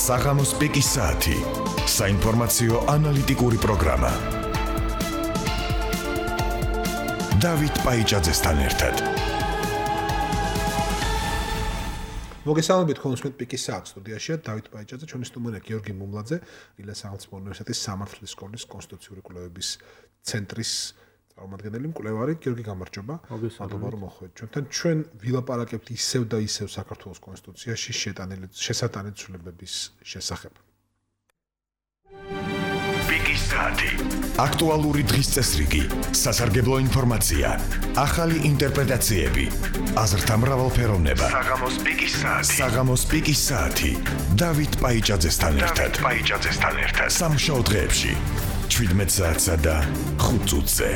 საღამოს პიკის საათი. საინფორმაციო ანალიტიკური პროგრამა. დავით პაიჭაძესთან ერთად. მოგესალმებით კონსულტ პიკის საათის სტუდიაში დავით პაიჭაძე, ჩვენი სტუმარია გიორგი მუმლაძე, ილეს სახელმწიფო უნივერსიტეტის სამართლის სკოლის კონსტიტუციური კვლევების ცენტრის წარმომადგენელი მკვლევარი. გიორგი, გამარჯობა. მადლობა რომ მოხვედით ჩვენთან. ჩვენ ვილაპარაკებთ ისევ და ისევ საქართველოს კონსტიტუციაში შესატანილი ცვლილებების შესახებ. პიკის საათი. აქტუალური დღის წესრიგი, სასარგებლო ინფორმაცია, ახალი ინტერპრეტაციები, აზრთა მრავალფეროვნება. საღამოს პიკის საათი. დავით პაიჭაძესთან ერთად. სამშაბათ დღეებში 17 საათსა და 5 წუთზე.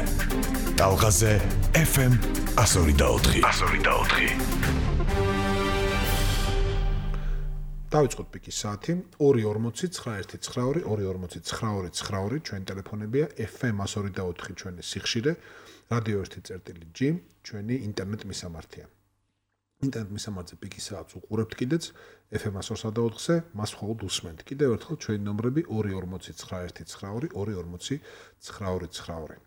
ტალღაზე FM 102.4. დავიწყოთ პიკის საათი. 2:49 2:49 ჩვენი ტელეფონებია, FM 102.4 ჩვენი სიხშირე, რადიო 1.G ჩვენი ინტერნეტ მისამართია. ინტერნეტ მისამართზე პიკის საათს უყურებთ კიდეც FM 102.4-ზე, მას მხოლოდ უსმენთ. კიდევ ერთხელ ჩვენი ნომრები 2:49 2:49.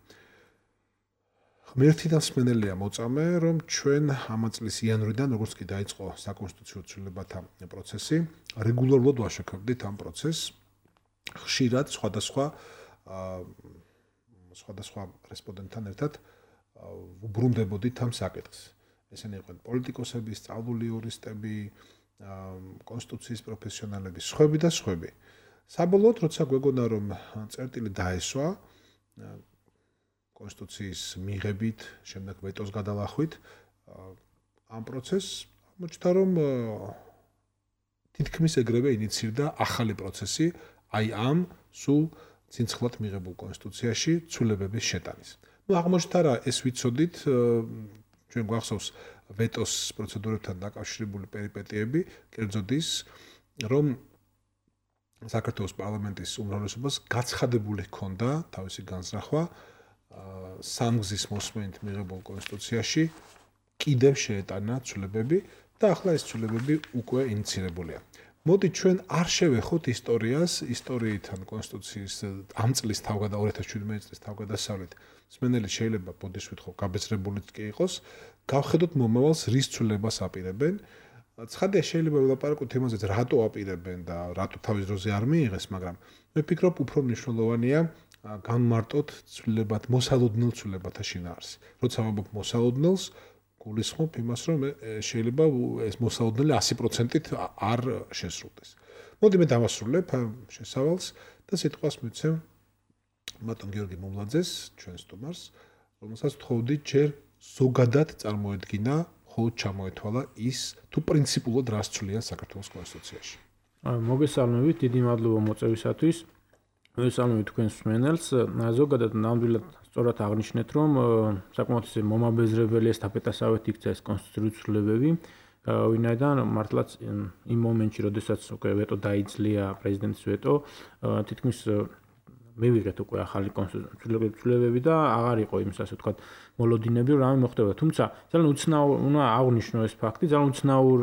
ღმერთი და მსმენელია მოწამე, რომ ჩვენ ამ წლის იანვრიდან, როგორც კი დაიწყო საკონსტიტუციო ცვლილებათა პროცესი, რეგულარულად ვაშუქებდით ამ პროცესს. ხშირად სხვადასხვა რესპონდენტთან ერთად უბრუნდებოდით ამ საკითხს. ესენი იყვნენ პოლიტიკოსები, სწავლული იურისტები, კონსტიტუციის პროფესიონალები, სხვები და სხვები. საბოლოოდ, როცა გვეგონა რომ წერტილი დაესვა კონსტიტუციის მიღებით, შემდეგ ვეტოს გადალახვით, ამ პროცესს მოჩნდა რომ თითქმის ეგრევე ინიცირდა ახალი პროცესი, აი ამ სულ ცინცხლად მიღებულ კონსტიტუციაში ცვლილებების შეტანის. აღმოჩნდა რა, ეს ვიცოდით, ჩვენ გვახსოვს ვეტოს პროცედურებთან დაკავშირებული პერიპეტიები, კერძოდ ის, რომ საქართველოს პარლამენტის უმრავლესობას გაცხადებული ჰქონდა თავისი განზრახვა სამგზის მოსმენით მიღებულ კონსტიტუციაში კიდევ შეეტანა ცვლილებები და ახლა ეს ცვლილებები უკვე ინიცირებულია. მოდი ჩვენ არ შევეხოთ ისტორიით ან კონსტიტუციის ამ წლის 2017 წლის თავგადასავლით. მსმენელი შეიძლება ბოდის ვითხოვ გაბეჭრებულიც კი იყოს, გავხედოთ მომავალს რის ცვლილებას აპირებენ. ცხადია შეიძლება ვილაპარაკოთ იმაზე, რატო აპირებენ და რატო თავის დროზე არ მიიღეს, მაგრამ მე ვფიქრობ, უფრო მნიშვნელოვანია განმარტოთ ცვლილებათ, მოსალოდნელ ცვლილებათა შინაარსი. როცა ვამბობ მოსალოდნელს, გულისხმობ იმას, რომ შეიძლება ეს მოსალოდნელი 100%-ით არ შესრულდეს. მოდი მე დავასრულებ შესავალს და სიტყვას მივცემ მათონ გიორგი მუმლაძეს, ჩვენ სტუმარს, რომელსაც ვთხოვდი ჯერ ზოგადად წარმოედგინა, ხოლოდ ჩამოეთვალა ის, თუ პრინციპულად რას ცვლია საქართველოს კონსტიტუციაში. მოგესალმებით, დიდი მადლობა მოწვევისათვის. მოგესალმებით თქვენს მსმენელს. ზოგადად ნამდვილად სწორად აღნიშნეთ, რომ საკმაოდ მომაბეზრებელი ესტაფეტასავით იქცა ეს კონსტიტუციური ცვლილებები, ვინაიდან მართლაც იმ მომენტში, როდესაც უკვე ვეტო დაიძლია, პრეზიდენტის ვეტო, თითქმის მივიღეთ უკვე ახალი კონსტიტუციური ცვლილებები და აღარ იყო იმის ასე ვთქვათ მოლოდინები, რომ რამე მოხდება. თუმცა ძალიან უცნაურ უნდა აღვნიშნო ეს ფაქტი, ძალიან უცნაურ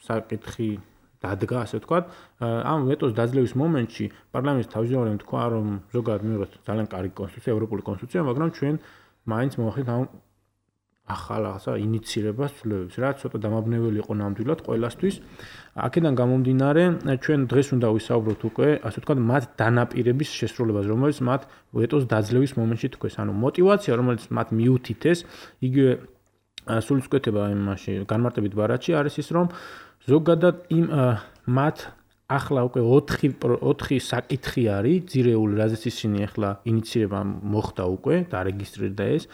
საკითხი დადგა, ასე ვთქვათ, ამ ვეტოს დაძლევის მომენტში პარლამენტის თავმჯდომარემ თქვა, რომ ზოგადად მივიღეთ ძალიან კარგი კონსტიტუცია, ევროპული კონსტიტუცია, მაგრამ ჩვენ მაინც მოვახდით ამ ახალ რაღაცა ინიცირებას ცვლილებებს, რაც ცოტა დამაბნეველი იყო ნამდვილად ყველასთვის. აქედან გამომდინარე, ჩვენ დღეს უნდა ვისაუბროთ უკვე, ასე ვთქვათ, მათ დანაპირების შესრულებას, რომელიც მათ ვეტოს დაძლევის მომენტში თქვეს, ანუ мотиваცია, რომელიც მათ მიუთითეს, იგივე სულისკვეთება იმაში განმარტებით ბარათში არის ის, რომ ზოგადად იმ მათ ახლა უკვე 4 საკითხი არის ძირეული, რაზეც ისინი ახლა ინიცირება მოხდა უკვე, დარეგისტრირდა ეს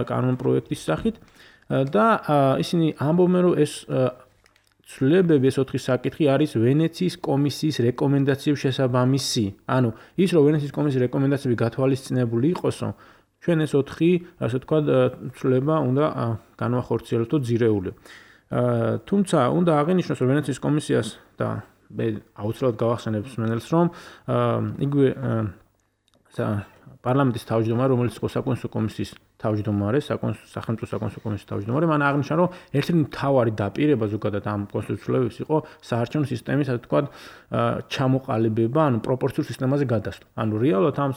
კანონპროექტის სახით და ისინი ამბობენ, რომ ეს ცვლილებები, ეს 4 საკითხი არის ვენეციის კომისიის რეკომენდაციების შესაბამისი. ანუ ის, რომ ვენეციის კომისიის რეკომენდაციები გათვალისწინებული იყოსო, ჩვენ ეს 4, ასე ვთქვათ, ცვლილება უნდა განვახორციელოთ ძირეული. თუმცა უნდა აღინიშნოს, რომ ვენეციის კომისიას და მე აუცილებლად გავახსენებ მსმენელს, რომ იგივე პარლამენტის თავმჯდომარე, რომელიც იყო საკონსტიტუციო კომისიის თავმჯდომარე, სახელმწიფო საკონსტიტუციო კომისიის თავმჯდომარე, მან აღნიშნა, რომ ერთ-ერთი მთავარი დაპირება ზოგადად ამ კონსტიტუციულების იყო საარჩევნო სისტემის, ასე ვთქვათ, ჩამოყალიბება, ანუ პროპორციულ სისტემაზე გადასვლა. ანუ რეალურად ამ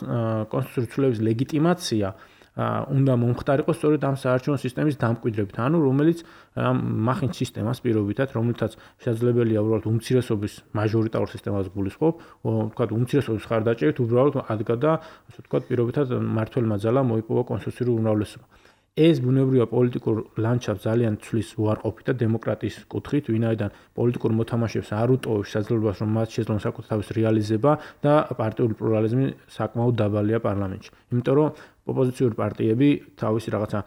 კონსტიტუციულების ლეგიტიმაცია უნდა მომხდარიყო სწორედ ამ საარჩევნო სისტემის დამკვიდრებით, ანუ რომელიც მახინჯ სისტემას პირობითად, რომელთაც შესაძლებელია უბრალოდ უმცირესობის მაჟორიტარულ სისტემას გულისხმობ, ვთქვათ, უმცირესობის ხარდაჭერით უბრალოდ ადგა და ასე ვთქვათ, პირობითად მმართველმა ძალამ მოიპოვა კონსტიტუციური უმრავლესობა. ეს ბუნებრივია პოლიტიკურ ლანდშაფტს ძალიან ცვლის უარყოფით და დემოკრატიის კუთხით, ვინაიდან პოლიტიკურ მოთამაშეებს არ უტოვებს შესაძლებლობას, რომ მათ შეძლონ საკუთრების რეალიზება და პარტიული პლურალიზმი საკმაოდ დაბალია პარლამენტში. იმიტომ რომ ოპოზიციური პარტიები თავისი რაღაცა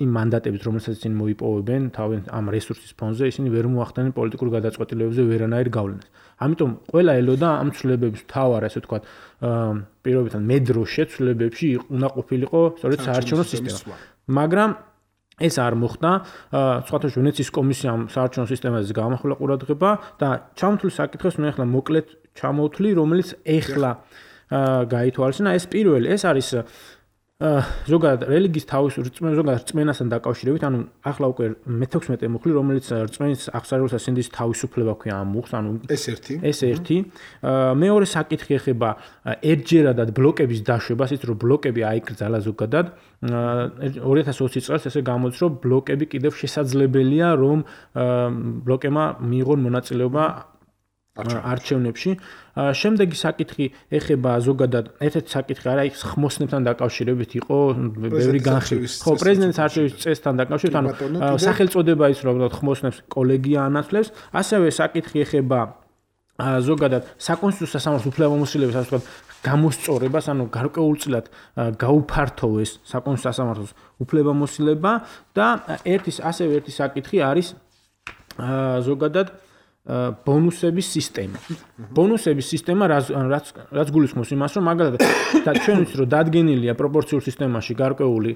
იმ მანდატებით, რომელსაც ისინი მოიპოვებენ, თავის ამ რესურსის ფონზე, ისინი ვერ მოახდენენ პოლიტიკურ გადაწყვეტილებებზე ვერანაირ გავლენას. ამიტომ ყველა ელოდა ამ ცვლილებების მთავარ, ასე ვთქვათ, პირობითად მედრო შეცვლილებებში უნდა ყოფილიყო სწორედ საარჩევნო სისტემა. მაგრამ ეს არ მოხდა, სხვათა შორის ვენეციის კომისიამ საარჩევნო სისტემაზე გამახვილა ყურადღება და ჩამოთვლის საკითხებს მე ახლა მოკლედ ჩამოვთვლი, რომელიც ეხლა გაითვალისწინა. ეს პირველი, ეს არის ზოგადად რელიგიის თავისუფლება, ზოგადად რწმენასთან დაკავშირებით, ანუ ახლა უკვე მე-16 მუხლი, რომელიც რწმენის აღსარებისა სინდის თავისუფლება ქვია ამ მუხლს, ანუ ეს ერთი. მეორე საკითხი ეხება ერთჯერადად ბლოკების დაშვებას, ის რომ ბლოკები აიკრძალა ზოგადად 2020 წელს ესე გამოდის, რომ ბლოკები კიდევ შესაძლებელია, რომ ბლოკებმა მიიღონ მონაწილეობა არჩევნებში. შემდეგი საკითხი ეხება ზოგადად ერთ-ერთი საკითხი არა იქ ხმოსნებთან დაკავშირებით იყო ბევრი განხილვა. ხო, პრეზიდენტის არჩევის წესთან დაკავშირებით, ანუ სახელწოდება ის რომ ხმოსნებს კოლეგია ანაცვლებს, ასევე საკითხი ეხება ზოგადად საკონსტიტუციო სასამართლოს უფლებამოსილების, ასე ვთქვათ, გამოსწორებას, ანუ გარკვეულწილად გაუფართოვეს საკონსტიტუციო სასამართლოს უფლებამოსილება და ერთი საკითხი არის ზოგადად ბონუსების სისტემა. ბონუსების სისტემა რაც გულისხმობს იმას, რომ მაგალითად ჩვენ ვიცით, რომ დადგენილია პროპორციულ სისტემაში გარკვეული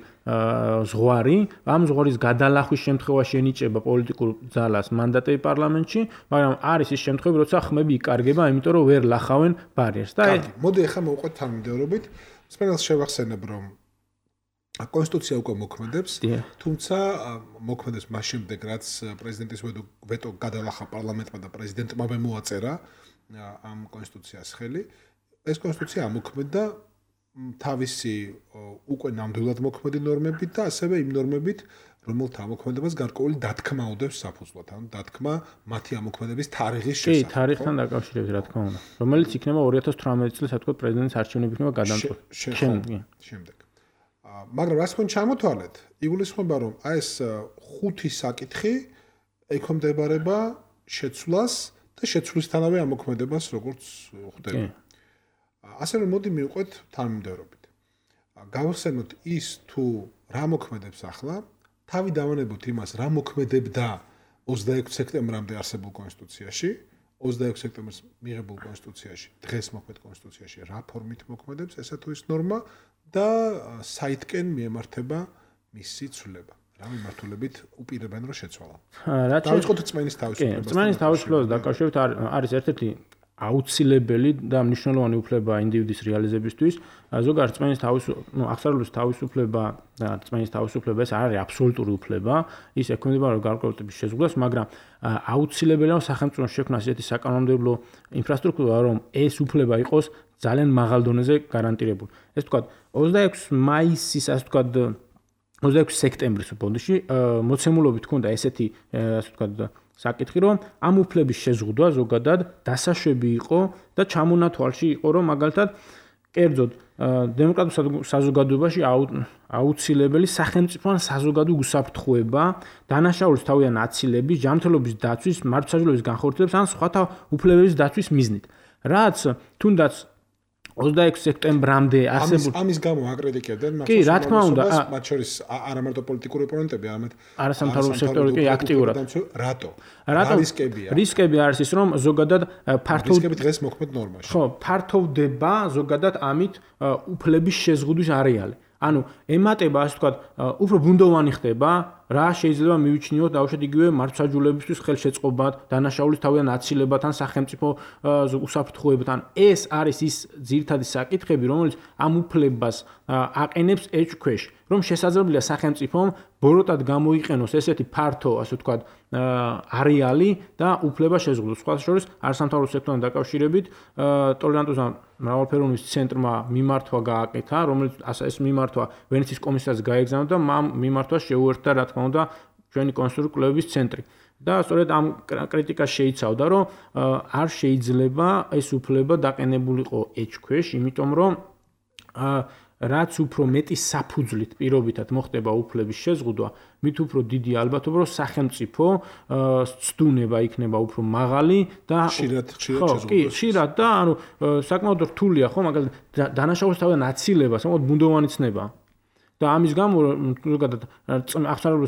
ზღვარი, ამ ზღვარის გადალახვის შემთხვევაში ენიჭება პოლიტიკურ ძალას მანდატები პარლამენტში, მაგრამ არის ის შემთხვევები, როცა ხმები იკარგება, იმიტომ რომ ვერ ლახავენ ბარიერს. და მოდი ახლა მოვყვეთ თანმიმდევრობით. სპეციალს შევახსენებ, რომ კონსტიტუცია უკვე მოქმედებს, თუმცა მოქმედებს მას შემდეგ, რაც პრეზიდენტის ვეტო გადალახა პარლამენტმა და პრეზიდენტმა მოაწერა ამ კონსტიტუციას ხელი. ეს კონსტიტუცია ამოქმედდა თავისი უკვე ნამდვილად მოქმედი ნორმებით და ასევე იმ ნორმებით, რომელთა ამოქმედებას გარკვეული დათქმა უდევს საფუძვლად, ანუ დათქმა მათი ამოქმედების თარიღის შესახებ. კი, თარიღთან დაკავშირებით, რა თქმა უნდა. რომელიც იქნება 2018 წლის, ასე ვთქვათ, პრეზიდენტის არჩევნები იქნება გადამწყვეტი. შემდეგ. მაგრამ რას თქვენ ჩამოთვალეთ, იგულისხმება, რომ ეს ხუთი საკითხი ექვემდებარება შეცვლას და შეცვლისთანავე ამოქმედებას, როგორც ხვდები. ასე რომ მოდი მივყვეთ თანმიმდევრობით. გავახსენოთ ის თუ რა მოქმედებს ახლა, თავი დავანებოთ იმას, რა მოქმედებდა 26 სექტემბრამდე არსებულ კონსტიტუციაში, 26 სექტემბერს მიღებულ კონსტიტუციაში, დღეს მოქმედ კონსტიტუციაში რა ფორმით მოქმედებს ესა თუ ის ნორმა და საითკენ მიემართება მისი ცვლილება. რა მიმართულებით უპირებენ რომ შეცვალა. დავიწყოთ რწმენის თავისუფლებას. რწმენის თავისუფლებას დაკავშირებით არის ერთ-ერთი აუცილებელი და მნიშვნელოვანი უფლება ინდივიდის რეალიზებისთვის. ზოგადად რწმენის აღსარებლის თავისუფლება და რწმენის თავისუფლება ეს არ არის აბსოლუტური უფლება, ის ექვემდებარება გარკვეულ ტიპის შეზღუდვას, მაგრამ აუცილებელია სახელმწიფოს შექმნას ესეთი საკანონმდებლო ინფრასტრუქტურა, რომ ეს უფლება იყოს ძალიან მაღალ დონეზე გარანტირებული. ეს ვთქვათ 26 მაისის, ასე ვთქვათ 26 სექტემბრის ბოდიში მოცემულობით ჰქონდა ესეთი, ასე ვთქვათ საკითხი, რომ ამ უფლების შეზღუდვა ზოგადად დასაშვები იყო და ჩამონათვალში იყო, რომ მაგალითად კერძოდ დემოკრატიულ საზოგადოებაში აუცილებელი სახელმწიფოთან საზოგადო უსაფრთხოება, დანაშაულის თავიდან აცილების, ჯანმრთელობის დაცვის, მართლმსაჯულების განხორციელების ან სხვათა უფლებების დაცვის მიზნით. რაც თუნდაც 26 სექტემბრამდე არსებულ ამის გამო აკრიტიკებდნენ კი, რა თქმა უნდა, მათ შორის არა მარტო პოლიტიკური ოპონენტები, არამედ არასამთავრობო სექტორი კი აქტიურად. რატო? რისკები არის ის, რომ ზოგადად რისკები დღეს მოქმედ ნორმაში. ხო, ფართოვდება ზოგადად ამით უფლების შეზღუდვის არეალი. ანუ ემატება, ასე ვთქვათ, უფრო ბუნდოვანი ხდება რა შეიძლება მივიჩნიოთ დაუშვათ იგივე მართლმსაჯულებისთვის ხელშეწყობად, დანაშაულის თავიდან აცილებად ან სახელმწიფო უსაფრთხოებად. ეს არის ის ძირითადი საკითხები, რომელიც ამ უფლებას აყენებს ეჭქვეშ, რომ შესაძლებელია სახელმწიფომ ბოროტად გამოიყენოს ესეთი ფართო, ასე ვთქვათ, არეალი და უფლება შეზღუდოს. სხვა შორის არასამთავრობო სექტორთან დაკავშირებით ტოლერანტობის მრავალფეროვნების ცენტრმა მიმართვა გააკეთა, რომელიც ეს მიმართვა ვენეციის კომისიას გაეგზავნა და ამ მიმართვას შეუერთდა, რა თქმა უნდა, ჩვენი კონსტიტუციური კვლევების ცენტრი. და სწორედ ამ კრიტიკას შეიცავდა, რომ არ შეიძლება ეს უფლება დაყენებულიყო ეჭქვეშ, იმიტომ რომ რაც უფრო მეტი საფუძვლით პირობითად მოხდება უფლების შეზღუდვა, მით უფრო დიდი ალბათობა, რომ სახელმწიფო ცდუნება იქნება უფრო მაღალი და ხშირად და ანუ საკმაოდ რთულია ხო, მაგალითად დანაშაულის თავიდან აცილება, საკმაოდ ბუნდოვანი ცნება. და ამის გამო ზოგადად აღსანიშნავი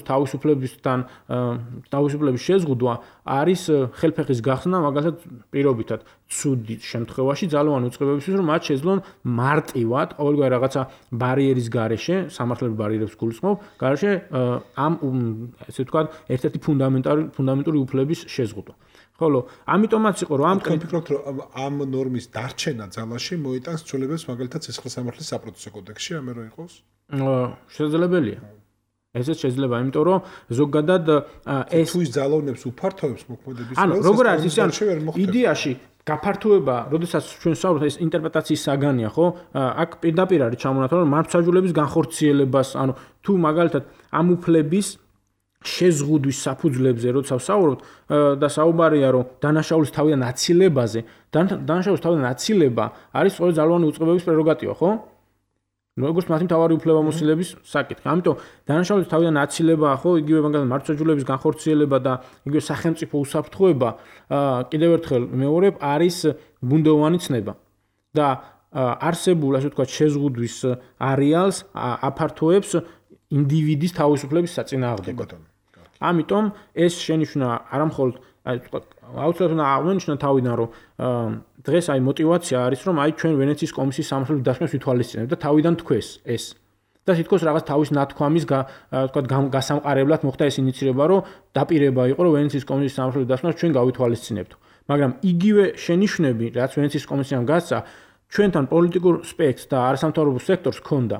თავისუფლების შეზღუდვა არის ხელფეხის გახსნა მაგალითად პირობითად ცუდი შემთხვევაში ძალოვანი უწყებებისთვის, რომ მათ შეძლონ მარტივად ყოველგვარი რაღაცა ბარიერის გარეშე, სამართლებრივ ბარიერებს გულისხმობ, გარეშე ამ ესე ვთქვათ, ერთ-ერთი ფუნდამენტური უფლების შეზღუდვა. ხოლო ამიტომაც იყო რომ ვფიქრობთ რომ ამ ნორმის დარჩენა ძალაში მოიტანს ცვლილებებს მაგალითად სისხლის სამართლის საპროცესო კოდექსში, ამე რო იყოს? შესაძლებელია. ესეც შეიძლება, იმიტომ რომ ზოგადად ეს თუ ის ძალოვნებს უფართოებს მოქმედების ანუ როგორ არის ის იდეაში გაფართოება, როდესაც ჩვენ ვსაუბრობთ ეს ინტერპრეტაციის საგანია, ხო? აქ პირდაპირ არის ჩამონათვალე რომ მართლმსაჯულების განხორციელებას, ანუ თუ მაგალითად ამ უფლების შეზღუდვის საფუძვლებზე როცა ვსაუბრობთ და საუბარია რომ დანაშაულის თავიდან აცილებაზე, დანაშაულის თავიდან აცილება არის სწორედ ძალოვანი უწყებების პრეროგატივა, ხო? როგორც მათი მთავარი უფლებამოსილების საკითხი. ამიტომ დანაშაულის თავიდან აცილება, ხო, იგივე მაგალითად მართლმსაჯულების განხორციელება და იგივე სახელმწიფო უსაფრთხოება კიდევ ერთხელ მეორებ არის ბუნდოვანი ცნება. და არსებულ, ასე ვთქვათ, შეზღუდვის არეალს აფართოებს ინდივიდის თავისუფლების საწინააღმდეგოდ. ამიტომ ეს შენიშვნა არამხოლოდ აუცილებლად აღნიშნა თავიდან, რომ დღეს აი мотиваცია არის, რომ აი ჩვენ ვენეციის კომისიის სამართლებრივ დასკვნას ვითვალისწინებთ და თავიდან თქვეს ეს. და თითქოს რაღაც თავის ნათქვამის ვთქვათ გასამყარებლად მოხდა ეს ინიციირება, რომ დაპირება იყო, რომ ვენეციის კომისიის სამართლებრივ დასკვნას ჩვენ გავითვალისწინებთ. მაგრამ იგივე შენიშვნები, რაც ვენეციის კომისიამ გასცა, ჩვენთან პოლიტიკურ სპექტრს და არასამთავრობო სექტორს ჰქონდა.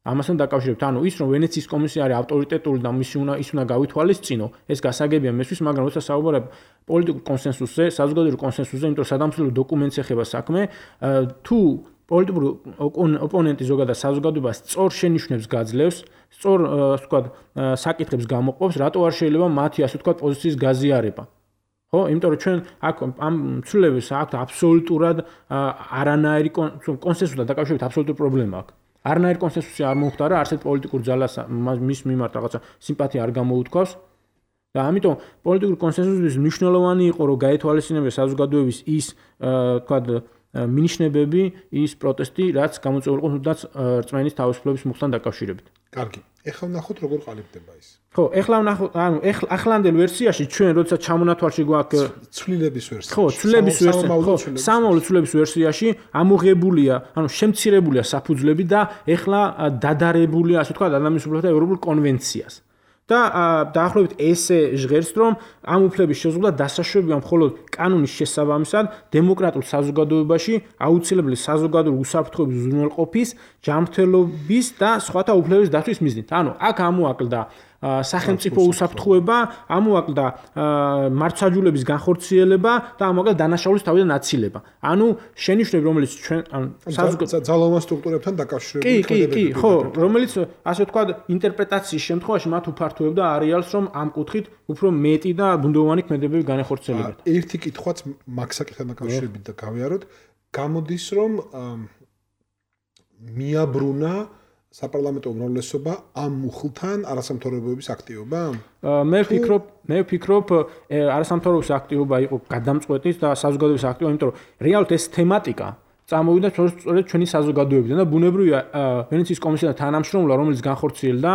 ამასთან დაკავშირებით, ანუ ის რომ ვენეციის კომისია არის ავტორიტეტული და ის უნდა გავითვალისწინო, ეს გასაგებია მესვის, მაგრამ როცა საუბარია პოლიტიკურ კონსენსუსზე, საზოგადოებრივ კონსენსუსზე, იმიტომ რომ სადამცველო დოკუმენტს ეხება საქმე, თუ პოლიტიკური ოპონენტი ზოგადად საზოგადოებას სწორ შენიშვნებს გაძლევს, სწორ ვთქვათ საკითხებს გამოყოფს, რატო არ შეიძლება მათი ასე ვთქვათ პოზიციის გაზიარება. ხო, იმიტომ რომ ჩვენ აქ ამ ცვლილებას აქვთ აბსოლუტურად არანაირი კონსენსუსთან დაკავშირებით აბსოლუტური პრობლემა აქვს. არანაირი კონსენსუსი არ მომხდარა, არსად პოლიტიკურ ძალას მის მიმართ რაღაცა სიმპათია არ გამოუთქვავს და ამიტომ პოლიტიკური კონსენსუსის მნიშვნელოვანი იყო, რომ გაეთვალისწინებდეს საზოგადოების ის ვთქვათ მინიშნებები, ის პროტესტი, რაც გამოწვეული იყო თუნდაც რწმენის თავისუფლების მოხდან დაკავშირებით. კარგი. ეხლა ვნახოთ როგორ ყალიბდება ის. ხო, ეხლა ვნახოთ, ანუ ახლანდელ ვერსიაში ჩვენ როცა ჩამონათვალში გვაქვს ცვლილების ვერსია. ხო, ცვლილების ვერსია. ხო, სამომავლო ცვლილების ვერსიაში ამოღებულია, ანუ შემცირებულია საფუძვლები და ეხლა დადარებულია, ასე ვთქვათ, ადამიანის უფლებათა ევროპულ კონვენციას. და დაახლოებით ესე ჟღერს, რომ ამ უფლების შეზღუდვა დასაშვებია მხოლოდ კანონის შესაბამისად დემოკრატიულ საზოგადოებაში აუცილებელი საზოგადოებრივი უსაფრთხოების უზრუნველყოფის, ჯანმრთელობის და სხვათა უფლებების დაცვის მიზნით. ანუ აქ ამოაკლდა სახელმწიფო უსაფრთხოება, ამოაკლდა მართლმსაჯულების განხორციელება და ამოაკლდა დანაშაულის თავიდან აცილება. ანუ შენიშვნები, რომელიც ჩვენ ძალოვან სტრუქტურებთან დაკავშირებით კი, ხო, რომელიც ასე ვთქვათ ინტერპრეტაციის შემთხვევაში მათ უფართოებდა არეალს, რომ ამ კუთხით უფრო მეტი და ბუნდოვანი ქმედებები განახორციელებათ. ერთი კითხვაც მაგ საკითხთან დაკავშირებით და გავიაროთ, გამოდის რომ მიაბრუნა საპარლამენტო უმრავლესობა ამ მუხლთან არასამთავრობოების აქტივობა? მე ვფიქრობ, არასამთავრობოების აქტივობა იყო გადამწყვეტის და საზოგადოების აქტივობა, იმიტომ რომ რეალურად ეს თემატიკა წამოვიდა სწორედ ჩვენი საზოგადოებიდან და ბუნებრივია ვენეციის კომისიასთან თანამშრომლობა, რომელიც განხორციელდა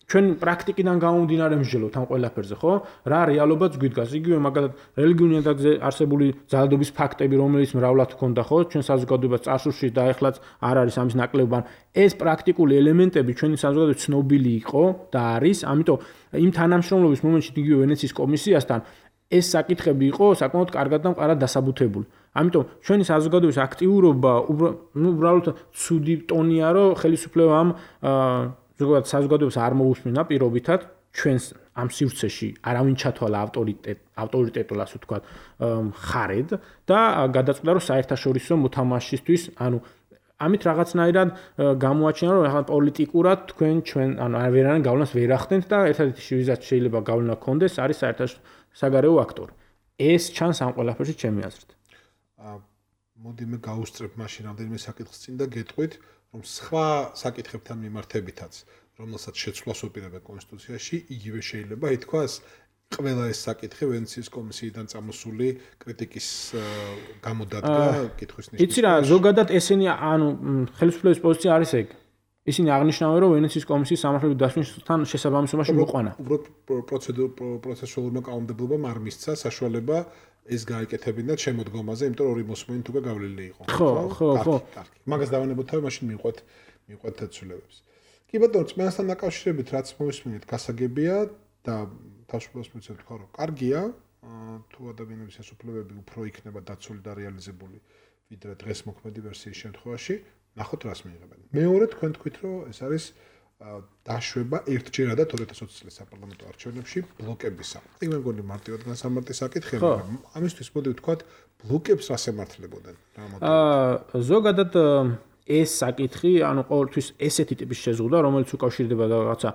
ჩვენ პრაქტიკიდან გამომდინარე მსჯელობთ ამ ყველაფერზე, ხო? რა რეალობაც გვიდგას. იგივე მაგალითად რელიგიური ნიადაგზე არსებული ძალადობის ფაქტები, რომელიც მრავლად ჰქონდა, ხო? ჩვენ საზოგადოებას წარსულში და ეხლაც არ არის ამის ნაკლებად. ეს პრაქტიკული ელემენტები ჩვენი საზოგადოების ცნობილი იყო და არის, ამიტომ იმ თანამშრომლობის მომენტში იგივე ვენეციის კომისიასთან ეს საკითხები იყო საკმაოდ კარგად და მყარად დასაბუთებული. ამიტომ ჩვენი საზოგადოების აქტიურობა უბრალოდ ცუდი ტონია, რომ ხელისუფლება ამ ზოგადად საზოგადოებას არ მოусმინა პირობითად ჩვენს ამ სივრცეში არავინ ჩათვალა ავტორიტეტულ ასე ვთქვათ ხარედ და გადაწყვიტა რომ საერთაშორისო მოთამაშისთვის ანუ ამით რაღაცნაირად გამოაჩინა რომ ახლა პოლიტიკურად ჩვენ ანუ ვერანაირ გავლენას ვერ ახდენთ და ერთადერთი ვიზაც შეიძლება გავლენა ქონდეს არის საერთაშორისო საგარეო აქტორი. ეს ჩანს ამ ყველაფერში ჩემი აზრით. მოდი მე გავუსწრებ მაშინ რამდენიმე საკითხს წინ და გეტყვით რომ სხვა საკითხებთან მიმართებითაც რომელსაც შეცვლას უპირებდა კონსტიტუციაში იგივე შეიძლება ითქვას ყველა ეს საკითხი ვენეციის კომისიიდან წამოსული κρიტიკის გამოდადგა კითხვის ნიშნის. იცი რა ზოგადად ესენი ანუ ხელისუფლების პოზიცია არის ეგ. ისინი აღნიშნავენ რომ ვენეციის კომისიის სამართლებრივი დასვენებასთან შესაბამისობაში მოყვანა. პროცესუალურმა კანონმდებლობამ არ მისცა საშუალება ეს გაიკეთებინათ შემოდგომაზე, იმიტომ რომ ორი მოსმენით უკვე გავლილი იყო. ხო. მაგას დავანებოთ თავი, მაშინ მიყვეთ ცვლილებებს. კი ბატონო, წმენასთან დაკავშირებით რაც მომისმენთ გასაგებია და თავშეფარს მიცემთ თქვა რომ კარგია, თუ ადამიანების ეს უფლებები უფრო იქნება დაცული და რეალიზებული, ვიდრე დღეს მოქმედი ვერსიის შემთხვევაში, ნახოთ რას მიიღებენ. მეორე თქვენ თქვით რომ ეს არის დაშვება ერთჯერადად 2020 წლის საპარლამენტო არჩევნებში ბლოკებისა. იქ მე მგონი მარტივად განსამარტი საკითხია, მაგრამ ამისთვის მოდი ვთქვათ ბლოკებს რას ემართლებოდნენ? ზოგადად ეს საკითხი, ანუ ყოველთვის ესეთი ტიპის შეზღუდვა, რომელიც უკავშირდება რაღაცა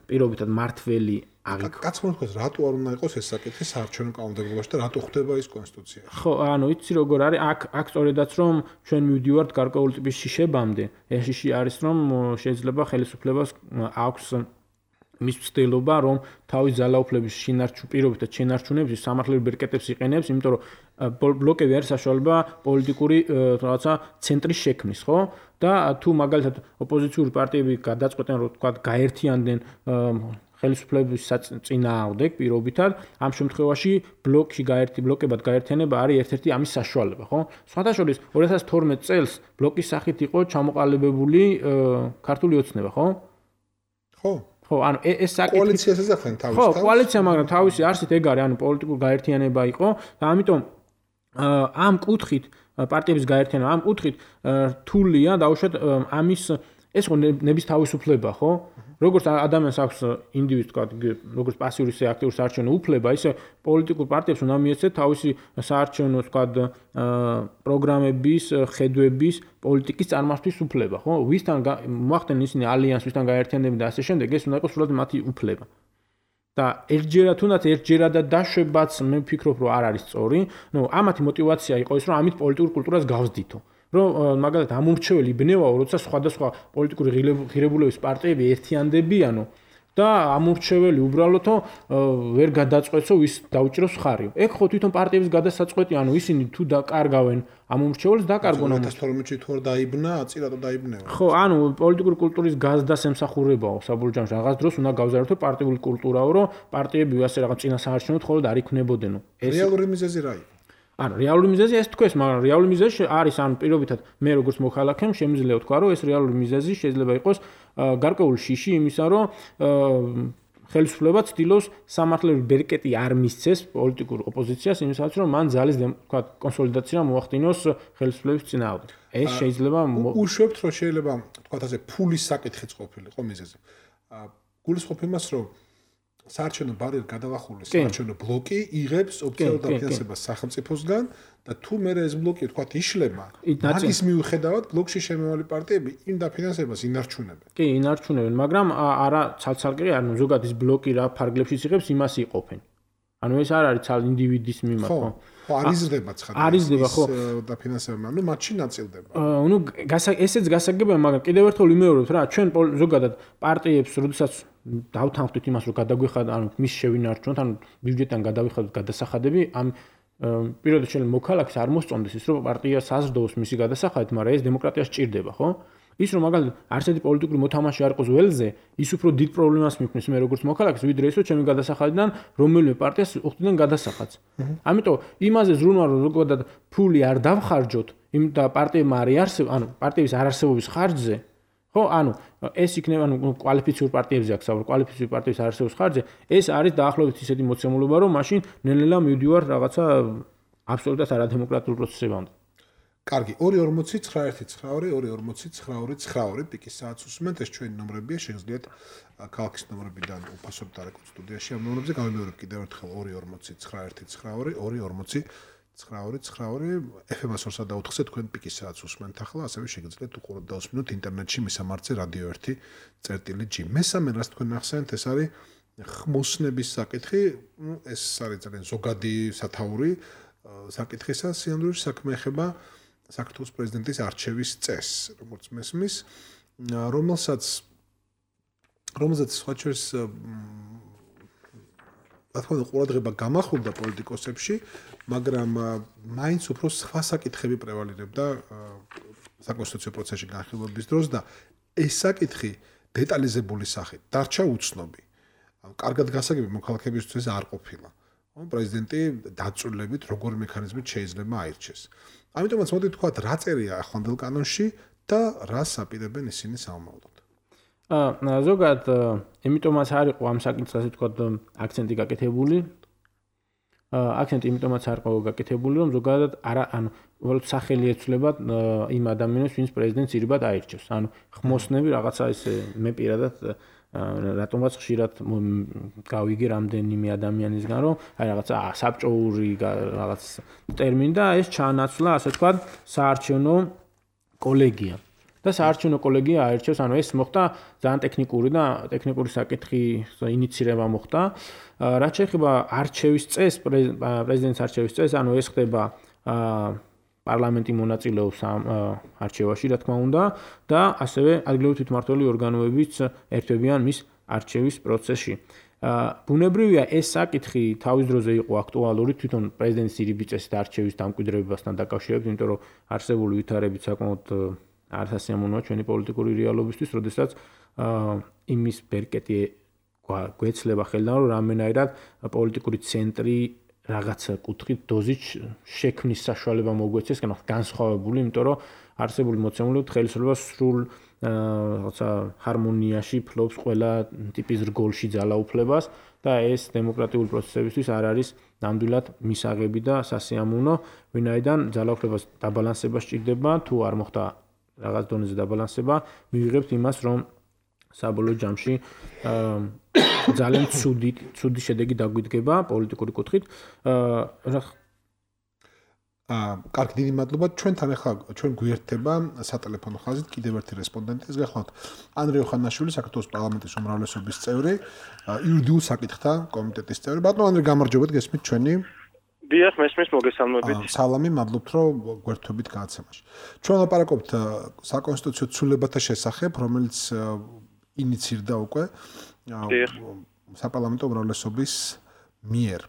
პირობითად მართველი კაცმა თქვას, რატო არ უნდა იყოს ეს საკითხი საარჩევნო კანონმდებლობაში და რატო ხდება ის კონსტიტუციაში? ხო, ანუ იცი როგორ არის, აქ სწორედაც რომ ჩვენ მივდივართ გარკვეული ტიპის შიშებამდე. ეს შიში არის რომ შეიძლება ხელისუფლებას აქვს მის ცდილობა რომ თავის ძალაუფლების პირობითად შენარჩუნების სამართლებრივ ბერკეტებს იყენებს, იმიტომ რომ ბლოკები არის საშუალება პოლიტიკური რაღაცა ცენტრის შექმნის, ხო? და თუ მაგალითად ოპოზიციური პარტიები გადაწყვეტენ რომ თქვა გაერთიანდნენ ხელისუფლების წინააღმდეგ პირობითად, ამ შემთხვევაში ბლოკებად გაერთიანება არის ერთ-ერთი ამის საშუალება, ხო? სხვათა შორის 2012 წელს ბლოკის სახით იყო ჩამოყალიბებული ქართული ოცნება, ხო? ხო, ანუ ეს საკითხი კოალიციას ეძახენ თავის. ხო, კოალიცია, მაგრამ თავისი არსით ეგ არის, ანუ პოლიტიკური გაერთიანება იყო და ამიტომ ამ კუთხით პარტიების გაერთიანება ამ კუთხით რთულია დაუშვათ ამის ეს ხო ნების თავისუფლება, ხო? როგორც ადამიანს აქვს ინდივიდს თქვა, როგორც პასიური ისე აქტიური საარჩევნო უფლება, ისე პოლიტიკურ პარტიებს უნდა მიეცეთ თავისი საარჩევნო თქვა პროგრამების, ხედვების, პოლიტიკის წარმართვის უფლება, ხო? ვისთან მოახდენენ ისინი ალიანსს, ვისთან გაერთიანდნენ და ასე შემდეგ, ეს უნდა იყოს სულად მათი უფლება. და ერთჯერადად დაშვებაც მე ვფიქრობ, რომ არ არის სწორი. ამათი мотиваცია იყო ის, რომ ამით პოლიტიკურ კულტურას გავსდითო. რომ მაგალითად ამორჩეველი ბნევაო, როცა სხვადასხვა პოლიტიკური ღირებულების პარტიები ერთიანდებიანო და ამორჩეველი უბრალოდ ვერ გადაწყვეტსო ვის დაუჭიროს ხარიო. ეგ ხო თვითონ პარტიების გადასაწყვეტი, ანუ ისინი თუ დაკარგავენ ამორჩეველს, დაკარგონ ამ 2012 თუ არ დაიბნა, აწი რატო დაიბნევა. ხო, ანუ პოლიტიკური კულტურის გაზდას ემსახურებაო საბოლოო ჯამში რაღაც დროს უნდა გავზარდო პარტიული კულტურაო, რომ პარტიები ასე რაღაც წინასაარჩევნოდ ხოლმე არ იქნებოდენო. რეალური მიზეზი რა იყო? ანუ რეალური მიზეზი ეს თქვეს, მაგრამ რეალური მიზეზი არის ან პირობითად მე როგორც მოქალაქემ შემიძლია ვთქვა, რომ ეს რეალური მიზეზი შეიძლება იყოს გარკვეული შიში იმისა, რომ ხელისუფლება ცდილობს სამართლებრივი ბერკეტი არ მისცეს პოლიტიკურ ოპოზიციას იმისათვის, რომ მან ძალის თქვა კონსოლიდაცია მოახდინოს ხელისუფლების წინააღმდეგ. ეს შეიძლება უშვებთ, რომ შეიძლება თქვა ასე ფულის საკითხიც ყოფილიყო მიზეზი. გულისხმობ იმას, რომ საარჩევნო ბარიერ გადავახურული საარჩევნო ბლოკი იღებს ოფიციალურ დაფინანსებას სახელმწიფოსგან და თუ მე ეს ბლოკი თქვათ იშლება, მაგის მიუხედავად ბლოკში შემავალი პარტიები იმ დაფინანსებას ინარჩუნებენ. კი, ინარჩუნებენ, მაგრამ არა ცალ-ცალკე, ანუ ზოგადად ის ბლოკი რა ფარგლებშიც იღებს, იმას იყოფენ. ანუ ეს არ არის ცალ ინდივიდის მიმართ, ხო? ხო, არიზრდება ცხადია. არიზრდება, ხო. დაფინანსება, ანუ მათში ნაწილდება. ესეც გასაგებია, მაგრამ კიდევ ერთხელ ვიმეორებთ რა, ჩვენ ზოგადად პარტიებს, როდესაც დავთანხმდით იმას, რომ გადაგვიხადოთ, ანუ მის შევინარჩუნოთ, ანუ ბიუჯეტიდან გადავიხადოთ გადასახადები, ამ პირდაპირ მოქალაქეს არ მოსწონდეს ის, რომ პარტია საზრდოობს მისი გადასახადით, მაგრამ ეს დემოკრატიას ჭირდება, ხო? ის რომ მაგალითად არც ერთი პოლიტიკური მოთამაშე არ იყოს ველზე, ის უფრო დიდ პრობლემას მიქმნის მე როგორც მოქალაქეს, ვიდრე ის რომ ჩემი გადასახადიდან რომელიმე პარტიას უხდიან გადასახადს. ამიტომ იმაზე ზრუნვა რომ ზოგადად ფული არ დავხარჯოთ, იმ და პარტიებმა არ იარსებო, ანუ პარტიების არარსებობის ხარჯზე, ხო, ანუ ეს იქნება კვალიფიციური პარტიებზე აქვს, კვალიფიციური პარტიის არარსებობის ხარჯზე, ეს არის დაახლოებით ისეთი მოცემულობა, რომ მაშინ ნელ-ნელა მივდივარ რაღაცა აბსოლუტურად არადემოკრატიულ პროცესებამდე. კარგი, 240-992-240-992 პიკის საათს უსმენთ, ეს ჩვენი ნომრებია, შეგიძლიათ ქალაქის ნომრებიდან უფასოდ დარეკოთ სტუდიაში ამ ნომრებზე, გავიმეორებ კიდევ ერთხელ 240-992-240-992 FM-ს 2.4-ზე თქვენ პიკის საათს უსმენთ ახლა, ასევე შეგიძლიათ უყუროთ და უსმინოთ ინტერნეტში მისამართზე Radio 1.G. მესამე რას თქვენ ახსენეთ, ეს არის ხმოსნების საკითხი, ეს არის ძალიან ზოგადი სათაური საკითხისა, სიამოვნებაში საქმე ეხება საქართველოს პრეზიდენტის არჩევის წესს, როგორც მესმის, რომელსაც სხვაჩვენს რა თქმა უნდა ყურადღება გამახვილდა პოლიტიკოსებში, მაგრამ მაინც უფრო სხვა საკითხები პრევალირებდა საკონსტიტუციო პროცესში განხილვების დროს და ეს საკითხი დეტალიზებული სახით დარჩა უცნობი. კარგად გასაგები მოქალაქეებისთვის არ ყოფილა. პრეზიდენტი დაწვრილებით როგორი მექანიზმით შეიძლება აირჩეს. ამიტომაც მოდი თქვათ, რა წერია ახლანდელ კანონში და რას აპირებენ ისინი სამომავლოდ. ზოგადად, იმიტომაც არ იყო ამ საკითხზე თქვათ აქცენტი გაკეთებული. აქცენტი იმიტომაც არ იყო გაკეთებული, რომ ზოგადად ანუ უბრალოდ სახელი ეცვლება იმ ადამიანებს, ვინც პრეზიდენტს ირიბად აირჩევს. ანუ ხმოსნები რაღაცა ესე მე პირადად რატომაც ხშირად გავიგე რამდენიმე ადამიანისგან რომ აი რაღაცა საბჭოური რაღაც ტერმინი და ეს ჩაანაცვლა ასე თქვა საარჩევნო კოლეგია და საარჩევნო კოლეგია აირჩევს ანუ ეს მოხდა ძალიან ტექნიკური საკითხის ინიცირება მოხდა რაც შეეხება არჩევის წესს პრეზიდენტის არჩევის წესს ანუ ეს ხდება პარლამენტი მონაწილეობს ამ არჩევაში, რა თქმა უნდა, და ასევე ადგილობრივი თვითმმართველი ორგანოებიც ერთვებიან მის არჩევის პროცესში. ბუნებრივია ეს საკითხი თავის დროზე იყო აქტუალური თვითონ პრეზიდენტის ირიბის წესით არჩევის დამკვიდრებასთან დაკავშირებით, იმიტომ რომ არსებული ვითარებით საკმაოდ არასასიამოვნოა ჩვენი პოლიტიკური რეალობისთვის, როდესაც იმის ბერკეტი გვეცლება ხელიდან, რომ რამდენადაც პოლიტიკური ცენტრი რაღაცა კუთხით დოზით შექმნის საშუალება მოგვეცეს, განსხვავებული, იმიტომ რომ არსებული მოცემულობით ხელისუფლება სრულ რაღაცა ჰარმონიაში ფლობს ყველა ტიპის რგოლში ძალაუფლებას და ეს დემოკრატიული პროცესებისთვის არ არის ნამდვილად მისაღები და სასიამოვნო, ვინაიდან ძალაუფლებას დაბალანსება სჭირდება, თუ არ მოხდა რაღაც დონეზე დაბალანსება, მივიღებთ იმას, რომ საბოლოო ჯამში ძალიან ცუდი შედეგი დაგვიდგება პოლიტიკური კუთხით. კარგი, დიდი მადლობა. ჩვენთან ახლა ჩვენ გვიერთდება სატელეფონო ხაზით კიდევ ერთი რესპონდენტი. ეს გახლავთ ანდრე ოხანაშვილი, საქართველოს პარლამენტის უმრავლესობის წევრი, იურიდიულ საკითხთა კომიტეტის წევრი. ბატონო ანდრე, გამარჯობათ, გესმით ჩვენი? დიახ, მესმის მოგესალმებით. სალამი, მადლობთ, რომ გვერთვებით გადაცემაში. ჩვენ ლაპარაკობთ საკონსტიტუციო ცვლილებათა შესახებ, რომელიც ინიცირდა უკვე საპარლამენტო უმრავლესობის მიერ.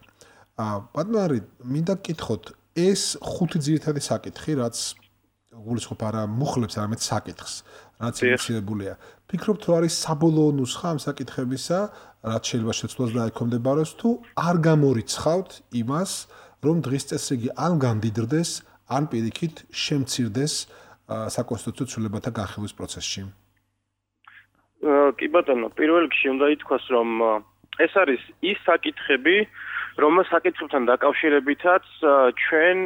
ბატონო არი, მინდა გკითხოთ, ეს ხუთი ძირითადი საკითხი, რაც გულისხმობ არა მუხლებს, არამედ საკითხს, რაც ინიცირებულია. ფიქრობთ, რომ არის საბოლოო ნუსხა ამ საკითხებისა, რაც შეიძლება შეცვლას და ეკომდებაროს, თუ არ გამორიცხავთ იმას, რომ დღის წესრიგი ან გამდიდრდეს, ან პირიქით შემცირდეს საკონსტიტუციო ცვლილებათა განხილვის პროცესში. კი ბატონო, პირველ რიგში უნდა ითქვას, რომ ეს არის ის საკითხები, რომელ საკითხებთან დაკავშირებითაც ჩვენ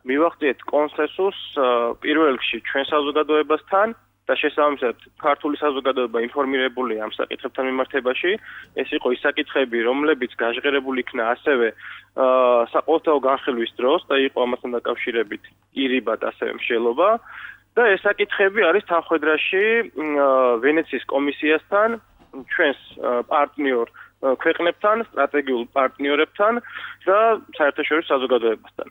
მივახციეთ კონსენსუსს პირველ რიგში ჩვენ საზოგადოებასთან და შესაბამისად ქართული საზოგადოება ინფორმირებულია ამ საკითხებთან მიმართებაში. ეს იყო ის საკითხები, რომლებიც გაჟღერებული იქნა ასევე საყოველთაო განხილვის დროს და იყო ამასთან დაკავშირებით ირიბად ასევე მსჯელობა. და ეს საკითხები არის თანხმედრაში ვენეციის კომისიასთან, ჩვენს პარტნიორ ქვეყნებთან, სტრატეგიულ პარტნიორებთან და საერთაშორისო საზოგადოებასთან.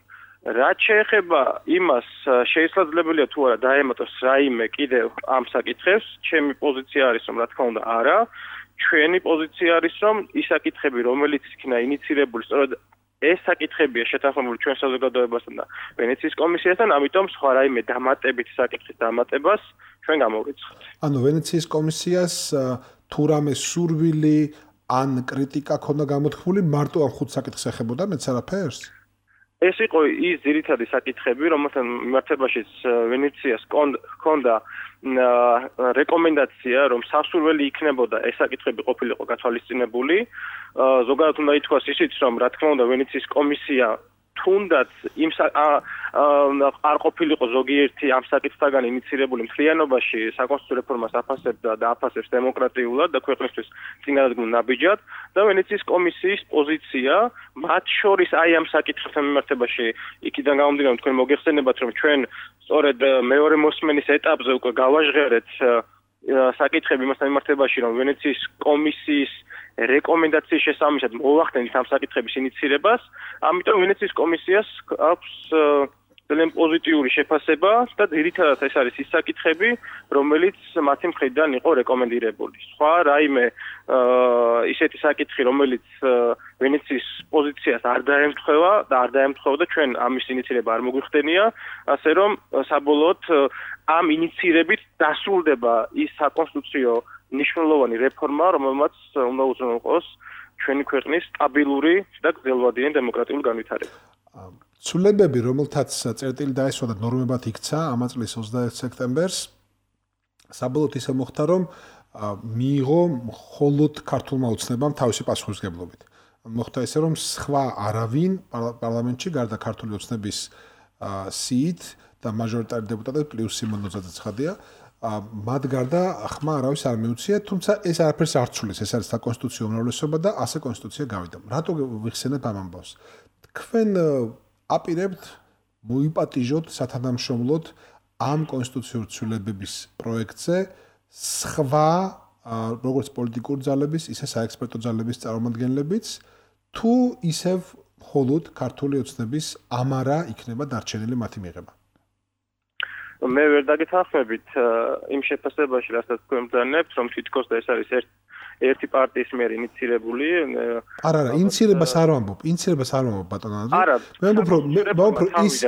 რაც შეეხება იმას, შესაძლებელია თუ არა დაემატოს რაიმე კიდევ ამ საკითხებს, ჩემი პოზიცია არის, რომ რა თქმა უნდა არა, ჩვენი პოზიცია არის, რომ ის საკითხები, რომელიც იქნა ინიცირებული, სწორედ ეს საკითხებია შეთანხმებული ჩვენ საზოგადოებასთან და ვენეციის კომისიასთან, ამიტომ სხვა რაიმე დამატებით საკითხის დამატებას ჩვენ გამოვიცხოთ. ანუ ვენეციის კომისიას თუ რამე სურვილი ან კრიტიკა ქონდა გამოთქმული მარტო ამ ხუთ საკითხს ეხებოდა მეც არაფერს? ეს იყო ის ძირითადი საკითხები, რომელთან მიმართებაშიც ვენეციას ჰქონდა რეკომენდაცია, რომ სასურველი იქნებოდა ეს საკითხები ყოფილიყო გათვალისწინებული. ზოგადად უნდა ითქვას ისიც, რომ რა თქმა უნდა ვენეციის კომისია თუნდაც იმ არ ყოფილიყო ზოგიერთი ამ საკითხთაგან ინიცირებული მთლიანობაში საკონსტიტუციო რეფორმას აფასებდა და აფასებს დემოკრატიულად და ქვეყნისთვის წინადადგმულ ნაბიჯად და ვენეციის კომისიის პოზიცია მათ შორის აი ამ საკითხთან მიმართებაში იქიდან გამომდინარე თქვენ მოგეხსენებათ რომ ჩვენ სწორედ მეორე მოსმენის ეტაპზე უკვე გავაჟღერეთ საკითხები იმასთან მიმართებაში რომ ვენეციის კომისიის რეკომენდაციის შესაბამისად მოვახდენთ ამ საკითხების ინიცირებას, ამიტომ ვენეციის კომისიას აქვს ძალიან პოზიტიური შეფასება და ძირითადად ეს არის ის საკითხები, რომელიც მათი მხრიდან იყო რეკომენდირებული. სხვა რაიმე ისეთი საკითხი, რომელიც ვენეციის პოზიციას არ დაემთხვევა და არ დაემთხვეოდა ჩვენ ამის ინიცირება არ მოგვიხდენია, ასე რომ საბოლოოდ ამ ინიცირებით დასრულდება ის საკონსტიტუციო ნიშნულოვანი რეფორმა, რომელმაც უნდა უზრუნველყოს ჩვენი ქვეყნის სტაბილური და გრძელვადიანი დემოკრატიული განვითარება. ცვლილებები, რომელთაც წერტილი დაესვა და ნორმებად იქცა ამ წლის 21 სექტემბერს, საბოლოოდ ისე მოხდა, რომ მიიღო მხოლოდ ქართულმა ოცნებამ თავისი პასუხისმგებლობით. მოხდა ისე, რომ სხვა არავინ პარლამენტში გარდა ქართული ოცნების სიით და მაჟორიტარი დეპუტატები პლუს სიმონ ნოძაძე-ცხადია მათ გარდა ხმა არავის არ მიუწია, თუმცა ეს არაფერს არ ცვლის, ეს არის საკონსტიტუციო უმრავლესობა და ასე კონსტიტუცია გავიდა. რატო ვიხსენებ ამ ამბავს? თქვენ აპირებთ მოიპატიჟოთ სათანამშრომლოდ ამ კონსტიტუციური ცვლილებების პროექტზე სხვა როგორც პოლიტიკური ძალების, ისე საექსპერტო ძალების წარმომადგენლებიც, თუ ისევ მხოლოდ ქართული ოცნების ამარა იქნება დარჩენილი მათი მიღება. მე ვერ დაგეთანხმებით იმ შეფასებაში, რასაც თქვენ ბრძანებთ, რომ თითქოს ეს არის ერთი პარტიის მიერ ინიცირებული. არა, ინიცირებას არ ვამბობ, ბატონო ანდრე. მე ვამბობ,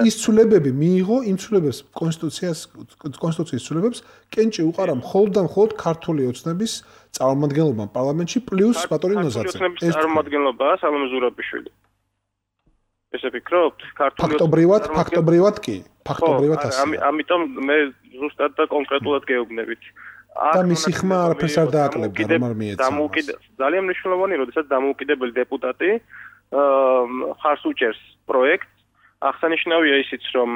ის ცვლილებები მიიღო, იმ ცვლილებებს კონსტიტუციის ცვლილებებს კენჭი უყარა მხოლოდ და მხოლოდ ქართული ოცნების წარმომადგენლობამ პარლამენტში პლუს ბატონი ნოზაძე. ეს წარმომადგენლობაა სალომე ზურაბიშვილი. ესე ფიქრობთ? ფაქტობრივად კი. ფაქტობრივად ასე. ამიტომ მე ზუსტად და კონკრეტულად გეუბნებით. და მისი ხმა არაფერს არ დააკლებდა, რომ არ მიეცა. ძალიან მნიშვნელოვანი, როდესაც დამოუკიდებელი დეპუტატი ხარს უჭერს პროექტს. აღსანიშნავია ისიც, რომ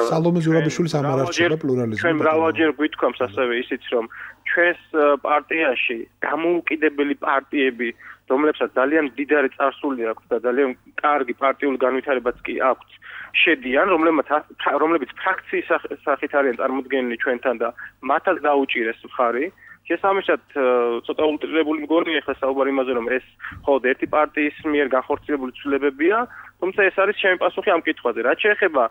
სალომე ზურაბიშვილის ამ არ არჩევა პლურალიზმი. ჩვენ მრავალჯერ გვითქვამს ასევე ისიც, რომ ჩვენს პარტიაში დამოუკიდებელი პარტიები, რომლებსაც ძალიან მდიდარი წარსული აქვს და ძალიან კარგი პარტიული განვითარებაც კი აქვს, შედიან, რომლებიც ფრაქციის სახით არიან წარმოდგენილი ჩვენთან და მათაც დაუჭირეს მხარი. შესაბამისად, ცოტა ულტრირებული მგონია ახლა საუბარი იმაზე, რომ ეს მხოლოდ ერთი პარტიის მიერ განხორციელებული ცვლილებებია, თუმცა ეს არის ჩემი პასუხი ამ კითხვაზე. რაც შეეხება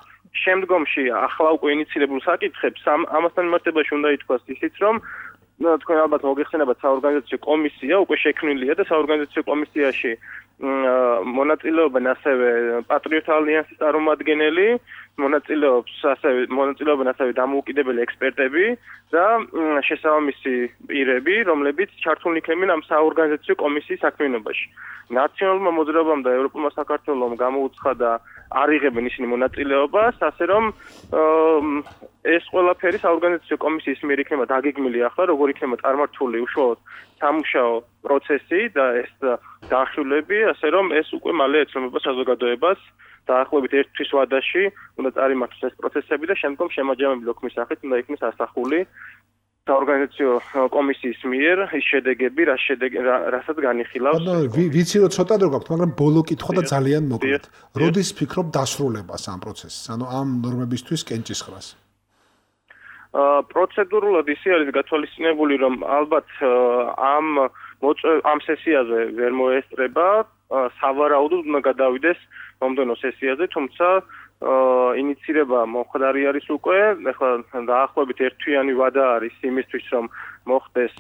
შემდგომში ახლა უკვე ინიცირებულ საკითხებს, ამასთან მიმართებაში უნდა ითქვას ისიც, რომ თქვენ ალბათ მოგეხსენებათ საორგანიზაციო კომისია უკვე შექმნილია და საორგანიზაციო კომისიაში მონაწილეობენ ასევე პატრიოტთა ალიანსის წარმომადგენელი, მონაწილეობენ ასევე დამოუკიდებელი ექსპერტები და შესაბამისი პირები, რომლებიც ჩართულნი იქნებიან ამ საორგანიზაციო კომისიის საქმიანობაში. ნაციონალურმა მოძრაობამ და ევროპულმა საქართველომ გამოუცხადა არ იღებენ ისინი მონაწილეობას, ასე რომ ეს ყველაფერი საორგანიზაციო კომისიის მიერ იქნება დაგეგმილი ახლა, როგორ იქნება წარმართული უშუალოდ სამუშაო პროცესი და ეს განხილვები, ასე რომ ეს უკვე მალე ეცნობა საზოგადოებას დაახლოებით ერთ თვის ვადაში უნდა წარიმართოს ეს პროცესები და შემდგომ შემაჯამებელი ოქმის სახით უნდა იქნეს ასახული საორგანიზაციო კომისიის მიერ ის შედეგები, რასაც განიხილავს. ვიცი რომ ცოტა დრო გაქვთ, მაგრამ ბოლო კითხვა და ძალიან მოკლედ. როდის ფიქრობ დასრულებას ამ პროცესს, ანუ ამ ნორმებისთვის კენჭისყრას? პროცედურულად ისე არის გათვალისწინებული, რომ ალბათ ამ სესიაზე ვერ მოესწრება, სავარაუდოდ უნდა გადავიდეს მომდევნო სესიაზე, თუმცა ინიცირება მომხდარი არის უკვე, ახლა დაახლოებით ერთთვიანი ვადა არის იმისთვის, რომ მოხდეს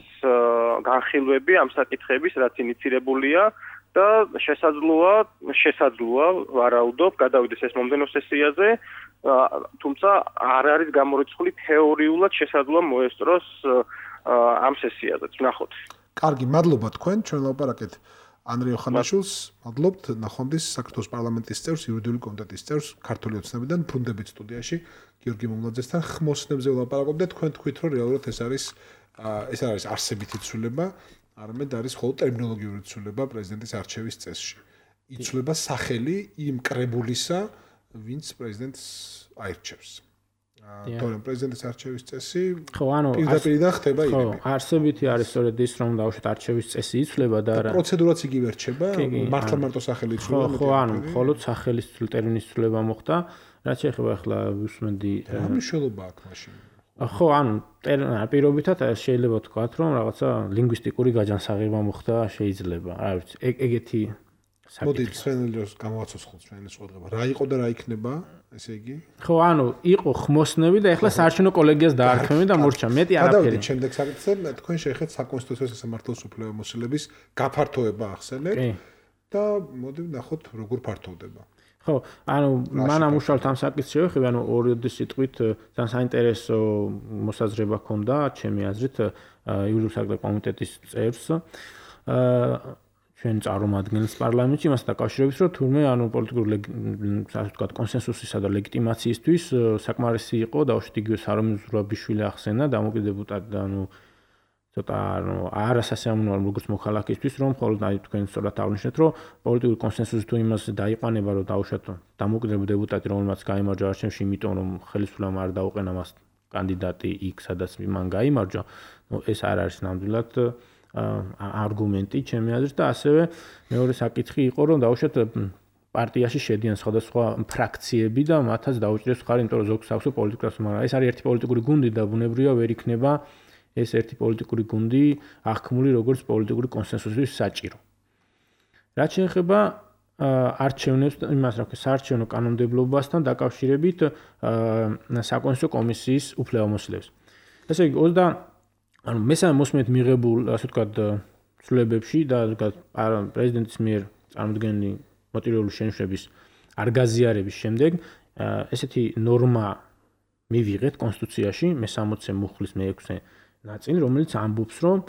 განხილვები ამ საკითხების, რაც ინიცირებულია და შესაძლოა ვარაუდობ, გადავიდეს ეს მომდევნო სესიაზე, თუმცა არ არის გამორიცხული თეორიულად შესაძლოა მოესწროს ამ სესიაზეც. ნახოთ. კარგი, მადლობა თქვენ, ჩვენ ლაპარაკეთ ანდრე ოხანაშვილს, მადლობთ ნახვამდის საქართველოს პარლამენტის წევრს, იურიდიული კომიტეტის წევრს, ქართული ოცნებიდან ბრუნდებით სტუდიაში გიორგი მომლაძესთან ხმოსნებზე ვლაპარაკობდით. თქვენ თქვით, რომ რეალურად ეს არის არსებითი ცვლილება, არამედ არის მხოლოდ ტერმინოლოგიური ცვლილება პრეზიდენტის არჩევის წესში. იცვლება სახელი იმ კრებულისა, ვინც პრეზიდენტს აირჩევს. თორემ პრეზიდენტის არჩევის წესი პირდაპირ ხდება იგივე. არსებითი არის სწორედ ის, რომ დაუშვათ არჩევის წესი იცვლება და არა პროცედურაც იგივე რჩება, მართლა ხელი იცვლება. მხოლოდ სახელის ტერმინის ცვლილება მოხდა, რაც შეეხება ახლა ვისმენდი რა მნიშვნელობა აქვს მაშინ? პირობითად შეიძლება ვთქვათ, რომ რაღაცა ლინგვისტიკური გაჯანსაღება მოხდა, შეიძლება. რა ვიცი, ეგეთი მოდი სვენელს გამოვაცოცხლოთ სვენელის ყურება. რა იყო და რა იქნება, ესე იგი? იყო ხმოსნები და ეხლა საარჩევნო კოლეგიას დაარქმევენ და მორჩა. მეტი არაფერი. გადავიდეთ შემდეგ საკითხზე, თქვენ შეეხეთ საკონსტიტუციო სასამართლოს უფლებამოსილების გაფართოება ახსენეთ და მოდი ვნახოთ როგორ ფართოვდება. მანამ უშუალოდ ამ საკითხს შევეხები, ორი სიტყვით ძალიან საინტერესო მოსაზრება ჰქონდა ჩემი აზრით იურიდიული საქმეთა კომიტეტის წევრს ჩვენ წარმომადგენელს პარლამენტში იმასთან დაკავშირებით, რომ თურმე პოლიტიკური ასე ვთქვათ კონსენსუსისა და ლეგიტიმაციისთვის საკმარისი იყო დაუშვათ იგივე სარომი ზურაბიშვილი ახსენა დამოუკიდებლად ცოტა არასასიამოვნოა როგორც მოქალაქისთვის, რომ მხოლოდ თქვენ სწორად აღნიშნეთ, რომ პოლიტიკური კონსენსუსი თუ იმას დაიყვანება, რომ დაუშვათ დამოუკიდებელი დეპუტატი, რომელმაც გაიმარჯვა არჩევნებში, იმიტომ რომ ხელისუფლებამ არ დაუყენა მას კანდიდატი X, სადაც მან გაიმარჯვა, ეს არ არის ნამდვილად არგუმენტი ჩემი აზრით და ასევე მეორე საკითხი იყო, რომ დაუშვათ პარტიაში შედიან სხვადასხვა ფრაქციები და მათაც დაუჭირეს ხარ, იმიტომ რომ ზოგს აქვს პოლიტიკას, მაგრამ ეს არის ერთი პოლიტიკური გუნდი და ბუნებრივია ვერ იქნება ეს ერთი პოლიტიკური გუნდი აღქმული როგორც პოლიტიკური კონსენსუსის საჭირო. რაც შეეხება არჩევნებს, იმას რა ქვია, საარჩევნო კანონმდებლობასთან დაკავშირებით საკონსტიტუციო კომისიის უფლებამოსილებს. ესე იგი, მესამე მოსმენით მიღებულ, ასე ვთქვათ, ცვლილებებში და პრეზიდენტის მიერ წარმოდგენილი მოტივირებული შენიშვნების არ გაზიარების შემდეგ ესეთი ნორმა მივიღეთ კონსტიტუციაში მე-60 მუხლის მე-6 ნაწილი, რომელიც ამბობს, რომ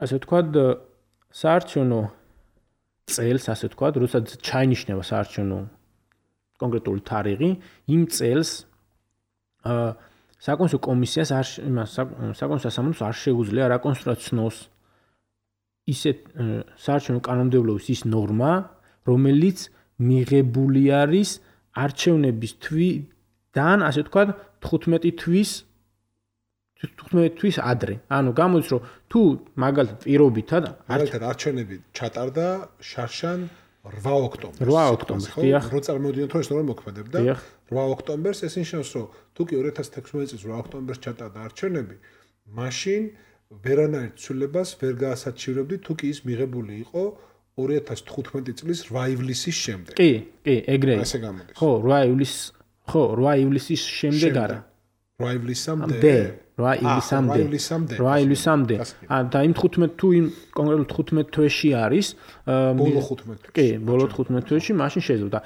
ასე ვთქვათ, საარჩევნო წელს, ასე ვთქვათ, როდესაც ჩაინიშნება საარჩევნო კონკრეტული თარიღი, იმ წელს საკონსტიტუციო კომისიას საკონსტიტუციო სასამართლოს არ შეუძლია რაკონსტრუქციოს ისეთ საარჩევნო კანონმდებლობის ის ნორმა, რომელიც მიღებული არის არჩევნების თვიდან, ასე ვთქვათ, 15 თვის ადრე. გამოდის, რომ თუ მაგალითად პირობითად არჩევნები ჩატარდა შარშან 8 ოქტომბერს. 8 ოქტომბერს, დიახ. რო წარმოვიდგინოთ, რომ ეს ნორმა მოქმედებდა 8 ოქტომბერს, ეს ნიშნავს, რომ თუ კი 2016 წლის 8 ოქტომბერს ჩატარდა არჩევნები, მაშინ ვერანაირ ცვლილებას ვერ გაასაჩივრებდით, თუ კი ის მიღებული იყო 2015 წლის 8 ივლისის შემდეგ. კი, ეგრე. ასე გამოდის. 8 ივლისის შემდეგ არა. 8 ივლისამდე. 8 ივლისამდე. და იმ 15 თუ იმ კონკრეტულ 15 თვეში არის, ბოლო 15 თვეში. კი, ბოლო 15 თვეში მაშინ შეიძლება.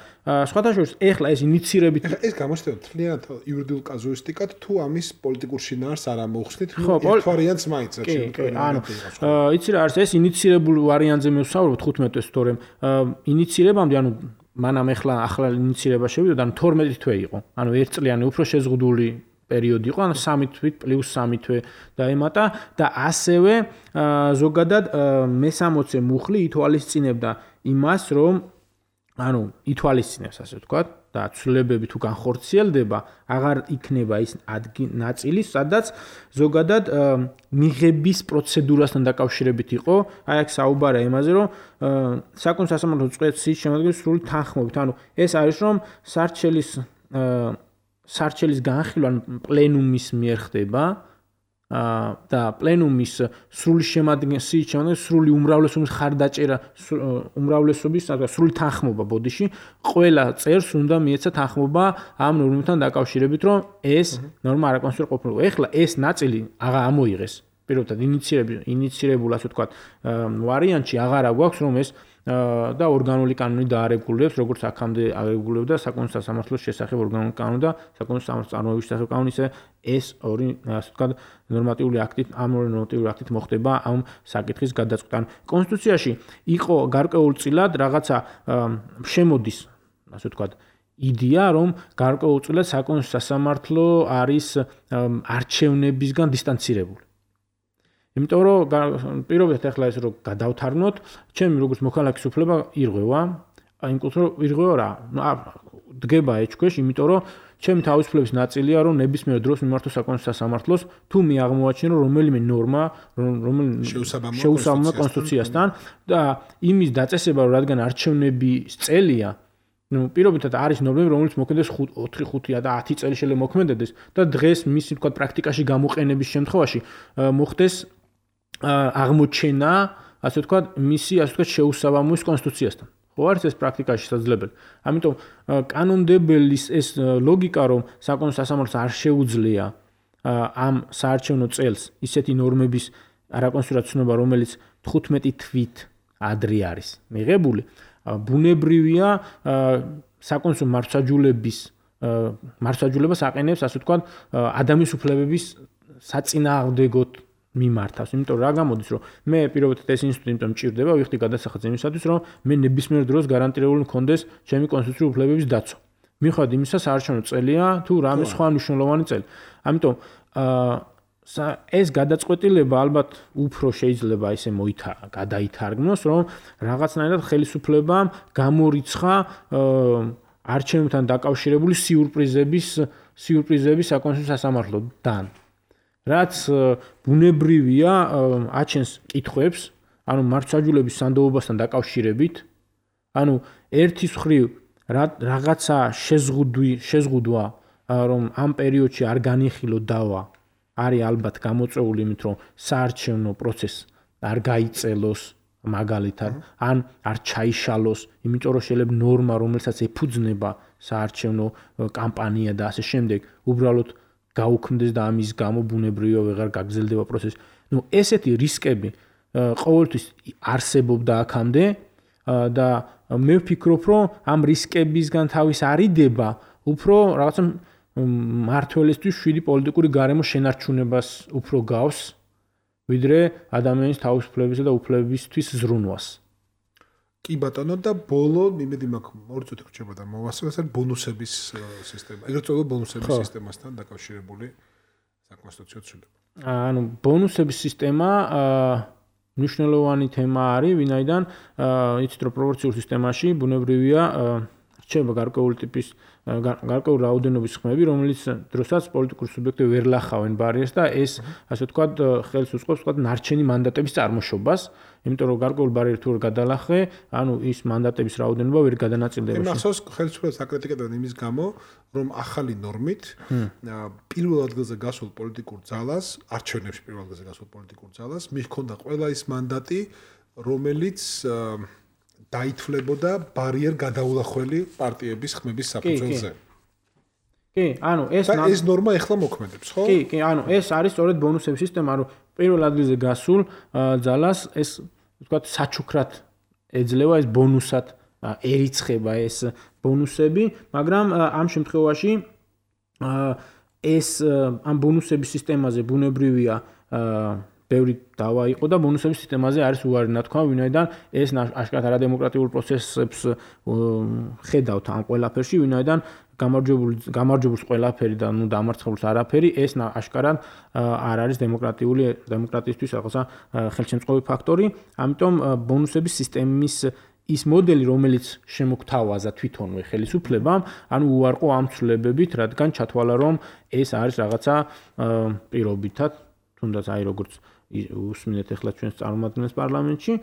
სხვათა შორის ეხლა ეს ინიციირებით ეს გამოჩნდება თლიანად იურიდიულ კაზუისტიკად, თუ ამის პოლიტიკურ შინაარს არ ამოხსნით, ერთ ვარიანტს მაინც იცი რა არის ეს ინიციირებულ ვარიანტზე მე ვსაუბრობ 15 თვეს, თორემ ინიციირებამდე, მანამ ახლა ინიციირება შევიდა, 12 თვე იყო. ერთწლიანი უფრო შეზღუდული პერიოდი იყო, 3 თვით პლუს 3 თვე დაემატა და ასევე ზოგადად მე-60 მუხლი ითვალისწინებდა იმას, რომ ითვალისწინებს, ასე ვთქვათ, და ცვლილებები თუ განხორციელდება, აღარ იქნება ის ნაწილი, სადაც ზოგადად მიღების პროცედურასთან დაკავშირებით იყო, აქ საუბარია იმაზე, რომ საკონსტიტუციო სასამართლო წესის შემადგენლობის სრული თანხმობით, ეს არის, რომ სარჩელის განხილვა პლენუმის მიერ ხდება და პლენუმის სრული შემადგენლობის სრული უმრავლესობის ხარდაჭერა, სრული თანხმობა ბოდიში ყველა წევრს უნდა მიეცა თანხმობა ამ ნორმებთან დაკავშირებით, რომ ეს ნორმა არაკონსტიტუციური ყოფილიყო. ეხლა ეს ნაწილი აღარ ამოიღეს. პირობითად ინიცირებულ ასე ვთქვათ ვარიანტში აღარა გვაქვს რომ ეს და ორგანული კანონი დაარეგულირებს, როგორც აქამდე არეგულირებდა საკონსტიტუციო სასამართლოს შესახებ ორგანული კანონი და საკონსტიტუციო სამართლის წარმოების შესახებ კანონი, ისე ეს ორი ასე ვთქვათ ნორმატიული აქტით, ამ ორი ნორმატიული აქტით მოხდება ამ საკითხის გადაწყვეტა. კონსტიტუციაში იყო გარკვეულწილად რაღაცა შემოდის, ასე ვთქვათ, იდეა, რომ გარკვეულწილად საკონსტიტუციო სასამართლო არის არჩევნებისგან დისტანცირებული. იმიტომ რომ პირობითად ახლა ეს რომ გადავთარგმნოთ, ჩემი როგორც მოქალაქის უფლება ირღვევა, იმ კუთხით ირღვევა რა, დგება ეჭქვეშ, იმიტომ რომ ჩემი თავისუფლების ნაწილია, რომ ნებისმიერ დროს მიმართო საკონსტიტუციო სასამართლოს, თუ მე აღმოაჩინო რომ რომელიმე ნორმა, რომელიც შეუსაბამოა კონსტიტუციასთან და იმის დაწესება, რომ რადგან არჩევნების წელია, პირობითად არის ნორმები, რომელიც მოქმედებს 4-5 და 10 წელი შეიძლება მოქმედდეს და დღეს მისი თქვა პრაქტიკაში გამოყენების შემთხვევაში მოხდეს აღმოჩენა, ასე ვთქვათ, მისი ასე ვთქვათ შეუსაბამოების კონსტიტუციასთან. ხო არის ეს პრაქტიკაში შესაძლებელი. ამიტომ კანონმდებელის ეს ლოგიკა, რომ საკონსტიტუციო სასამართლოს არ შეუძლია ამ საარჩევნო წელს ისეთი ნორმების არაკონსტიტუციური ცნობა, რომელიც 15 თვით ადრე არის მიღებული, ბუნებრივია საკონსტიტუციო მართლმსაჯულებას აყენებს, ასე ვთქვათ, ადამიანის უფლებების საწინააღმდეგოდ მიმართავს. იმიტომ რა გამოდის, რომ მე პირობითად ეს ინსტიტუტი იმიტომ მჭირდება, ვიხდი გადასახადს იმისათვის, რომ მე ნებისმიერ დროს გარანტირებული მქონდეს ჩემი კონსტიტუციური უფლებების დაცვა. მიუხედავად იმისა, საარჩევნო წელია თუ რამე სხვა მნიშვნელოვანი წელი. ამიტომ ეს გადაწყვეტილება ალბათ უფრო შეიძლება ისე გადაითარგმნოს, რომ რაღაცნაირად ხელისუფლებამ გამორიცხა არჩევნებთან დაკავშირებული სიურპრიზების საკონსტიტუციო სასამართლოდან. რაც ბუნებრივია აჩენს კითხვებს, ანუ მართლმსაჯულების სანდოობასთან დაკავშირებით, ანუ ერთის მხრივ რაღაცა შეზღუდვა, რომ ამ პერიოდში არ განიხილო დავა, არის ალბათ გამოწვეული იმით, რომ საარჩევნო პროცესი არ გაიწელოს მაგალითად, ან არ ჩაიშალოს, იმიტომ რომ შეიძლება ნორმა, რომელსაც ეფუძნება საარჩევნო კამპანია და ასე შემდეგ, უბრალოდ გაუქმდეს და ამის გამო ბუნებრივია ვეღარ გაგრძელდება პროცესი. ესეთი რისკები ყოველთვის არსებობდა აქამდე და მე ვფიქრობ, რომ ამ რისკებისგან თავის არიდება უფრო რაღაცა მართველისთვის შვიდი პოლიტიკური გარემო შენარჩუნებას უფრო გავს, ვიდრე ადამიანის თავისუფლებისა და უფლებებისთვის ზრუნვას. კი ბატონო და ბოლო იმედი მაქვს ორი წუთი რჩება და მოვასწროთ ბონუსების სისტემა. ეგრეთ წოდებული ბონუსების სისტემასთან დაკავშირებული საკონსტიტუციო ცვლილება. ანუ ბონუსების სისტემა მნიშვნელოვანი თემა არის, ვინაიდან იცით რომ პროპორციულ სისტემაში ბუნებრივია რჩება გარკვეული ტიპის გარკვეული რაოდენობის ხმები, რომელიც დროსაც პოლიტიკური სუბიექტები ვერ ლახავენ ბარიერს და ეს ასე ვთქვათ ხელს უწყობს ვთქვათ ნარჩენი მანდატების წარმოშობას, იმიტომ რომ გარკვეული ბარიერი თუ არ გადალახე, ანუ ის მანდატების რაოდენობა ვერ გადანაწილდება. მახსოვს ხელისუფლებას აკრიტიკებდნენ იმის გამო, რომ ახალი ნორმით პირველ ადგილზე გასულ პოლიტიკურ ძალას, არჩევნებში პირველ ადგილზე გასულ პოლიტიკურ ძალას მიჰქონდა ყველა ის მანდატი, რომელიც დაითვლებოდა ბარიერ გადაულახველი პარტიების ხმების საფუძველზე. კი, ანუ ეს ნორმა ეხლა მოქმედებს, ხო? კი, ანუ ეს არის სწორედ ბონუსების სისტემა, რომ პირველ ადგილზე გასულ ძალას ეს ვთქვათ საჩუქრად ეძლევა, ეს ბონუსად ერიცხება ეს ბონუსები, მაგრამ ამ შემთხვევაში ეს ამ ბონუსების სისტემაზე ბუნებრივია ბევრი დავა იყო და ბონუსების სისტემაზე არის უარი ნათქვა, ვინაიდან ეს აშკარად არადემოკრატიულ პროცესებს ხედავთ ამ ყველაფერში, ვინაიდან გამარჯვებულს ყველაფერი და დამარცხებულს არაფერი, ეს აშკარად არ არის დემოკრატიისთვის რაღაცა ხელშემწყობი ფაქტორი, ამიტომ ბონუსების სისტემის ის მოდელი, რომელიც შემოგთავაზა თვითონვე ხელისუფლებამ, ანუ უარყო ამ ცვლილებებით, რადგან ჩათვალა, რომ ეს არის რაღაცა პირობითად, თუნდაც აი როგორც უსმინეთ ახლა ჩვენს წარმომადგენლებს პარლამენტში,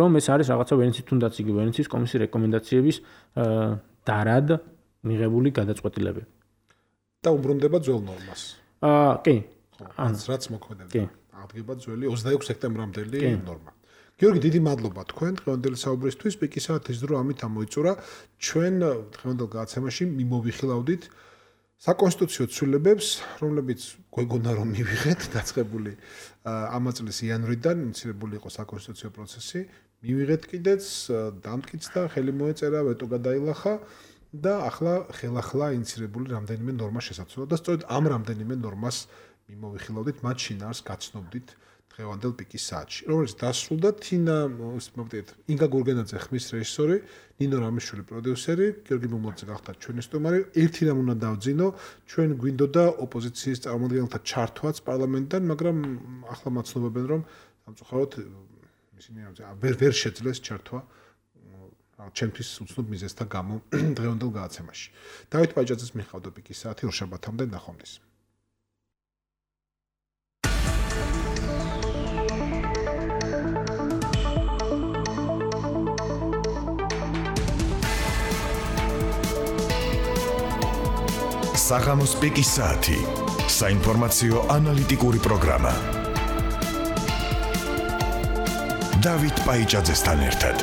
რომ ეს არის რაღაცა ვენეციის თუნდაც იგი ვენეციის კომისიის რეკომენდაციების დარად მიღებული გადაწყვეტილებები. და უბრუნდება ძველ ნორმას. კი. რაც მოქმედებდა. აღდგება ძველი 26 სექტემბრამდელი ნორმა. გიორგი, დიდი მადლობა თქვენ დღევანდელი საუბრისთვის. პიკისაა ის დრო ამით ამოიწურა. ჩვენ დღევანდელ გადაცემაში მიმოვიხილავდით საკონსტიტუციო ცვლილებებს, რომლებიც გვეგონა რომ მივიღეთ, დაწყებული ამ წლის იანვრიდან ინიცირებული იყო საკონსტიტუციო პროცესი, მივიღეთ კიდეც, დამტკიცდა, ხელი მოეწერა, ვეტო გადაილახა და ახლა ხელახლა ინიცირებული რამდენიმე ნორმა შესაძლოა და სწორედ ამ რამდენიმე ნორმას მიმოვიხილავდით, მათ შინაარს გაცნობდით დღევანდელ პიკის საათში, რომელიც დასრულდა ინგა გურგენაძე ხმის რეჟისორი, ნინო რამიშვილი პროდიუსერი, გიორგი მომლაძე გახდა ჩვენი სტუმარი. ერთი რამ უნდა დავძინო, ჩვენ გვინდოდა ოპოზიციის წარმომადგენელთა ჩართვაც პარლამენტიდან, მაგრამ ახლა მაცნობებენ, რომ სამწუხაროდ ისინი ვერ შეძლეს ჩართვა ჩემთვის უცნობ მიზეზთა გამო დღევანდელ გადაცემაში. დავით პაიჭაძეს მიხავდა პიკის საათი ორშაბათამდე ნახვამდის. საღამოს პიკის საათი. საინფორმაციო ანალიტიკური პროგრამა. დავით პაიჭაძესთან ერთად.